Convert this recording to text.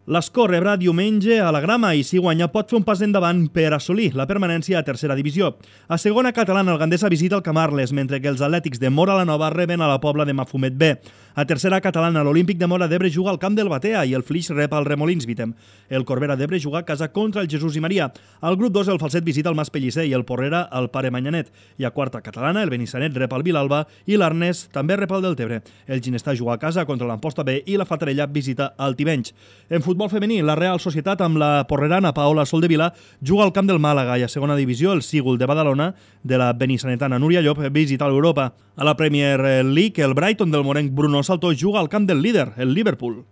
L'Escó rebrà diumenge a la Grama i si guanya pot fer un pas endavant per assolir la permanència a tercera divisió. A segona catalana el Gandesa visita el Camarles, mentre que els atlètics de Móra la Nova reben a la Pobla de Mafumet B. A tercera catalana l'Olímpic de Móra d'Ebre juga al camp del Batea i el Flix rep al Remolins Vitem. El Corbera d'Ebre juga a casa contra el Jesús i Maria. Al grup 2 el Falset visita el Mas Pellicer i el Porrera al Pare Manyanet. I a quarta catalana el Benissanet rep al Vilalba i l'Arnès també rep al Deltebre. El Ginestà juga a casa contra l'Amposta B i la Fatarella visita el Tivenys. En futbol femení, la Real Societat amb la porrerana Paola Soldevila juga al camp del Màlaga i a segona divisió el Sígul de Badalona de la benissanetana Núria Llop visita l'Europa. A la Premier League el Brighton del morenc Bruno Salto juga al camp del líder, el Liverpool.